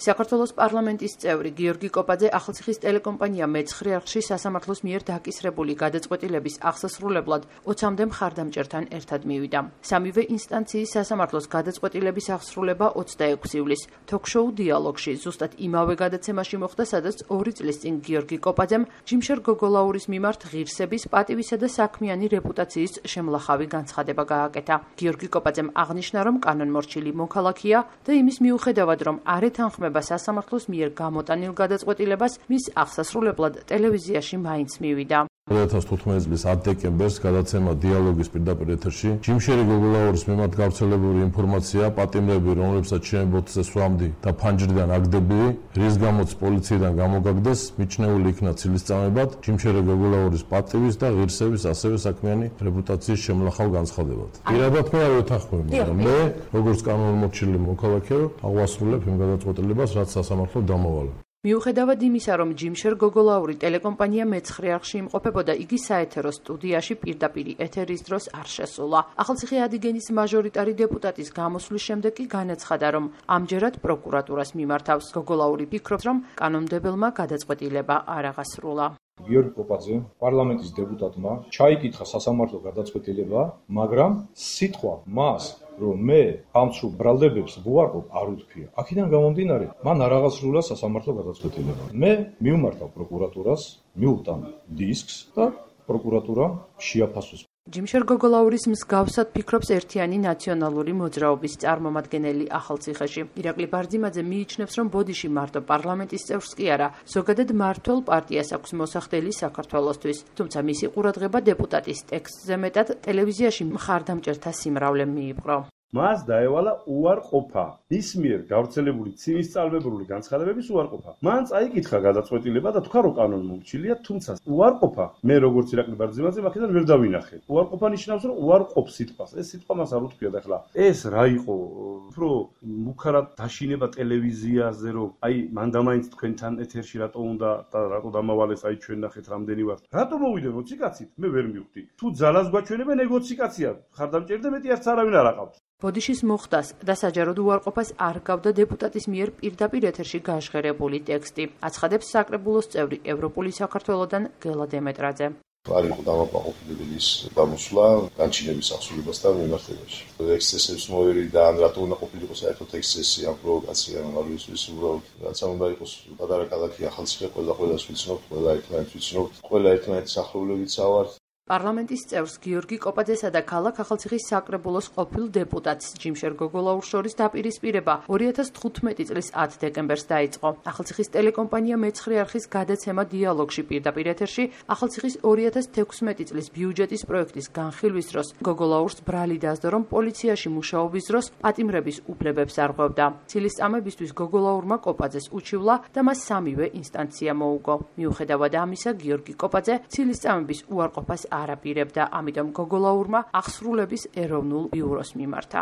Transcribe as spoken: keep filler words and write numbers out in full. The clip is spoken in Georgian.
საქართველოს პარლამენტის წევრი გიორგი კოპაძე ახალციხის ტელეკომპანია მეცხრე არხში სასამართლოს მიერ დაკისრებული გადაწყვეტილების აღსასრულებლად ოცამდე მხარდამჭერთან ერთად მივიდა. სამივე ინსტანციის სასამართლოს გადაწყვეტილების აღსრულება ოცდაექვსი ივლისს თოქ-შოუ დიალოგში ზუსტად იმავე გადაცემაში მოხდა, სადაც ორი წლის წინ გიორგი კოპაძემ ჯიმშერ გოგოლაურის მიმართ ღირსების, პატივისა და საქმიანი რეპუტაციის შემლახავი განცხადება გააკეთა. გიორგი კოპაძემ აღნიშნა, რომ კანონმორჩილი მოქალაქეა და იმის მიუხედავად, რომ არ ეთანხმება სასამართლოს მიერ გამოტანილ გადაწყვეტილებას, მის აღსასრულებლად ტელევიზიაში მაინც მივიდა. ორი ათას თხუთმეტი წლის ათი დეკემბერს გადაცემა დიალოგის პირდაპირ ეთერში ჯიმშერი გოგოლაურის მიმართ გავრცელებული ინფორმაცია, პატიმრები, რომლებსაც ჩემი ბოთზე სვამდი და ფანჯრიდან აგდებილი, რის გამოც პოლიციიდან გამოგაგდეს, მიჩნეული იქნა ცილისწამებად ჯიმშერი გოგოლაურის პატივის და ღირსების, ასევე საქმიანი რეპუტაციის შემლახავ განცხადებად. პირადად მე არ ვეთანხმებ, მაგრამ მე, როგორც კანონმორჩილი მოქალაქე, აღვასრულებ იმ გადაწყვეტილებას, რაც სასამართლო დამოვალა. მიუხედავად იმისა, რომ ჯიმშერ გოგოლაური ტელეკომპანია მეცხრე არხში იმყოფებოდა, იგი საეთერო სტუდიაში პირდაპირ ეთერის დროს არ შესულა. ახალციხე ადიგენის მაჟორიტარი დეპუტატის გამოსვლის შემდეგ კი განაცხადა, რომ ამჯერად პროკურატურას მიმართავს. გოგოლაური ფიქრობს, რომ კანონმდებელმა გადაწყვეტილება არ აღასრულა. გიორგი კოპაძე პარლამენტის დეპუტატმა ჩაიკითხა სასამართლო გადაწყვეტილება, მაგრამ სიტყვა მას რომ მე ამცრუ ბრალდებებს ვუარყოფ არ უთქვია. აქედან გამომდინარე, მან არ აღასრულა სასამართლო გადაწყვეტილება. მე მივმართავ პროკურატურას, მივუტან დისკს და პროკურატურა შეაფასოს. ჯიმშერ გოგოლაურის მსგავსად ფიქრობს ერთიანი ნაციონალური მოძრაობის წარმომადგენელი ახალციხეში. ირაკლი ბარძიმაძე მიიჩნევს, რომ ბოდიში მარტო პარლამენტის წევრს კი არა, ზოგადად მმართველ პარტიას აქვს მოსახდელი საქართველოსთვის. თუმცა მისი ყურადღება დეპუტატის ტექსტზე მეტად ტელევიზიაში მხარდამჭერთა სიმრავლემ მიიპყრო. მას დაევალა უარყოფა, ის მიერ გავრცელებული ცივისწალბებული განცხადებების უარყოფა. მან წაიკითხა გადაწყვეტილება და თქვა, რომ კანონმორჩილია, თუმცა უარყოფა, მე როგორც ირაკლი ბარძიმაძე აქედან ვერ დავინახე. უარყოფა ნიშნავს, რომ უარყოფს სიტყვას. ეს სიტყვა მას არ უთქვია და ახლა ეს რა იყო? უფრო მუქარად დაშინება ტელევიზიაზე, რომ აი მან და მაინც თქვენთან ეთერში რატო უნდა და რატო დამავალეს, აი ჩვენ ნახეთ რამდენი ვართ. რატო მოვიდე მოციკაცით? მე ვერ მივხვდი. თუ ძალას გვაჩვენებენ, ნეგოციკაცია. ხარდამჭერდა მეტი არც არავინ არ აყავთ. ბოდიშის მოხდას და საჯაროდ უარყოფას არ გავდა დეპუტატის მიერ პირდაპირ ეთერში გაჟღერებული ტექსტი. აცხადებს საკრებულოს წევრი ევროპული საქართველოდან გელა დემეტრაძე. არ იყო დამაკმაყოფილებელი ის გამოსვლა განჩინების აღსრულებასთან მიმართებაში. ექსცესებს მოერი და ან რატო უნდა ყოფილიყო საერთოდ ექსცესი ამ პროვოკაცია, არ ვიცი, უბრალოდ რაცა უნდა იყოს პატარა ქალაქი ახალციხე, ყველა ყველას ვიცნობთ, ყველა ერთმანეთს ვიცნობთ, ყველა ერთმანეთის ახლობლებიც ავართ. პარლამენტის წევრს გიორგი კოპაძესა და ქალაქ ახალციხის საკრებულოს ყოფილ დეპუტატს ჯიმშერ გოგოლაურს შორის დაპირისპირება ორი ათას თხუთმეტი წლის ათი დეკემბერს დაიწყო. ახალციხის ტელეკომპანია მეცხრე არხის გადაცემა დიალოგში პირდაპირ ეთერში ახალციხის ორი ათას თექვსმეტი წლის ბიუჯეტის პროექტის განხილვის დროს გოგოლაურს ბრალი დასდო, რომ პოლიციაში მუშაობის დროს პატიმრების უფლებებს არღვევდა. ცილისწამებისთვის გოგოლაურმა კოპაძეს უჩივლა და მას სამივე ინსტანცია მოუგო. მიუხედავად ამისა, გიორგი კოპაძე ცილისწამების უარყოფას არაპირებდა, ამიტომ გოგოლაურმა აღსრულების ეროვნულ ბიუროს მიმართა.